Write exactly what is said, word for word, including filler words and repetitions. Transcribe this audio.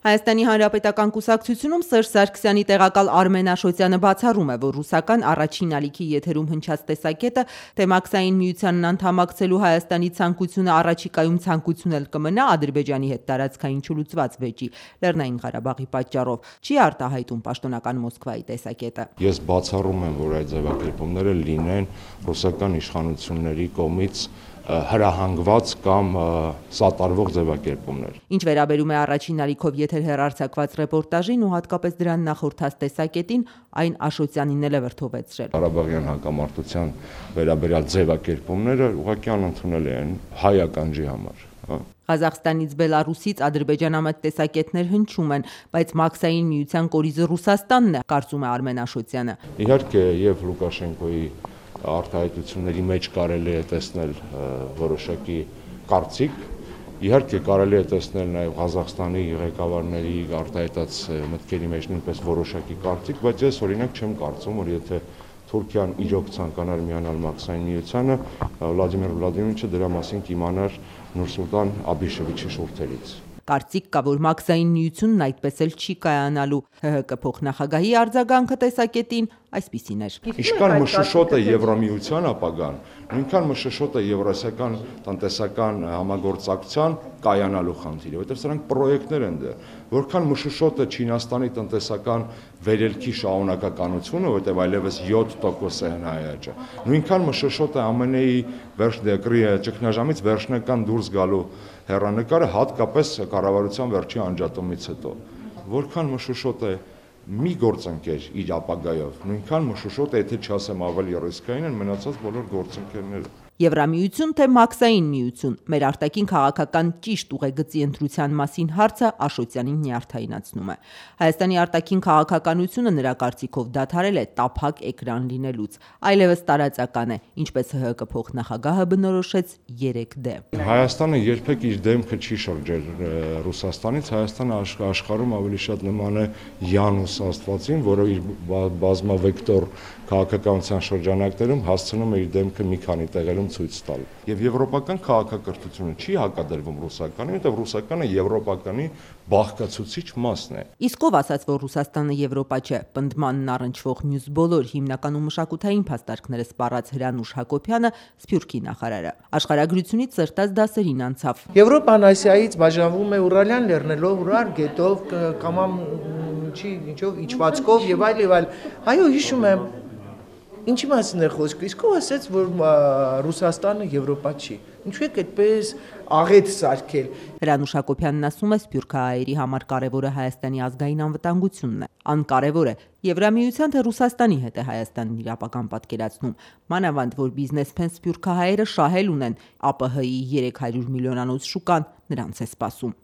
Հայաստանի Հանրապետական կուսակցությունում Սերժ Սարգսյանի տեղակալ Արմեն Աշոտյանը բացառում է, որ ռուսական առաջին ալիքի եթերում հնչած տեսակետը, թե Մաքսային միությանն անդամակցելու Հայաստանի ցանկությունը առաջիկայում ցանկություն էլ կմնա Ադրբեջանի հետ տարածքային չլուծված վեճի Լեռնային Ղարաբաղի պատճառով, չի արտահայտում պաշտոնական Մոսկվայի տեսակետը։ Ես բացառում եմ, որ այդ ձևակերպումները լինեն ռուսական իշխանությունների կողմից հրահանգված կամ սատարվող ձևակերպումներ։ Ինչ վերաբերում է առաջին ալիքով եթեր հեռարձակված ռեպորտաժին ու հատկապես դրան նախորդած տեսակետին, այն Աշոտյանին էլ է վրդովեցրել։ Ղարաբաղյան հակամարտության վերաբերյալ ձևակերպումները ուղղակի անընդունել են հայ ականջի համար։ Ղազախստանից, Բելարուսից ադրբեջանամետ տեսակետներ հնչում են, բայց Մաքսային միության կորիզը Ռուսաստանն է, կարծում է Արմեն Աշոտյանը։ Իհարկե, եւ Լուկաշենկոյի արտահայտությունների մեջ կարելի է տեսնել որոշակի կարծիք, իհարկե կարելի է տեսնել նաև Ղազախստանի ղեկավարների արտահայտած մտքերի մեջ նույնպես որոշակի կարծիք, բայց ես օրինակ չեմ կարծում, որ եթե Թուրքիան իրոք ցանկանար միանալ Մաքսային միությանը, Վլադիմիր Վլադիմիրոviչը դրա մասին կիմանար Նուրսուլտան Աբիշևիչի շուրթերից։ Կարծիք կա, որ Մաքսային միությունն այդպես էլ չի կայանալու։ ՀՀԿ փոխնախագահի արձագանքը տեսակետին այսպիսին էր։ Ինչքան մշուշոտ է Եվրամիության ապագան, նույնքան մշուշոտ է Եվրասիական տնտեսական համագործակցության կայանալու խնդիրը, որտեղ սրանք պրոյեկտներ են դեռ։ Որքան մշուշոտ է Չինաստանի տնտեսական վերելքի շարունակականությունը, որտեղ այլևս յոթ տոկոս է հնայաճը, նույնքան մշուշոտ է ԱՄՆ-ի վերջնեկրի ճգնաժամից վերջնական դուրս գալու հեռանկարը, հատկապես կառավարության վերջի անջատումից հետո։ Որքան մշուշոտ է մի գործընկեր իր ապագայով, նույնքան մշուշոտ է, եթե չասեմ ավելի ռիսկային են մնացած բոլոր գործընկերները։ Եվրամիություն թե Մաքսային միություն, մեր արտաքին քաղաքական ճիշտ ուղեգծի ընտրության մասին հարցը Աշոտյանին նյարդայնացնում է։ Հայաստանի արտաքին քաղաքականությունը նրա կարծիքով դադարել է տափակ էկրան լինելուց, այլևս տարածական է, ինչպես ՀՀԿ փոխնախագահը բնորոշեց երեք դե։ Հայաստանը երբեք իր դեմքը չի շրջել Ռուսաստանից, Հայաստանը աշխարհում ավելի շատ նման է Յանուս Աստվածին, որը իր բազմավեկտոր քաղաքականության շրջանակներում հասցնում է իր դեմքը մի քանի տեղերում ցույց տալ։ Եվ եվրոպական քաղաքակրթությունը չի հակադրվում ռուսականին, որտեղ ռուսականը եվրոպականի բաղկացուցիչ մասն է։ Իսկ ով ասաց, որ Ռուսաստանը Եվրոպա չէ, պնդմանն առնչվող մյուս բոլոր հիմնականում մշակութային փաստարկները սպառած Հրանուշ Հակոբյանը, Սփյուռքի նախարարը, աշխարհագրությունից սրտած դասերին անցավ։ Եվրոպան Ասիայից բաժանվում է Ուրալյան լեռներով, Ուրար գետով, կամամ չի ինչով իջվածքով եւ այլ եւ այլ։ Այո, հիշում եմ։ Ինչի մասին է խոսքը, իսկ ով ասաց, որ Ռուսաստանը Եվրոպա չի։ Ինչու եք այդպես աղետ սարքել։ Հրանուշ Հակոբյանն ասում է, սփյուռքահայերի համար կարևորը Հայաստանի ազգային անվտանգությունն է։ Անկարևոր է Եվրամիության թե Ռուսաստանի հետ է Հայաստանն իր ապագան պատկերացնում։ Մանավանդ, որ բիզնեսմեն սփյուռքահայերը շահել ունեն ԱՊՀ-ի երեք հարյուր միլիոնանոց շուկան նրանց է սպասում։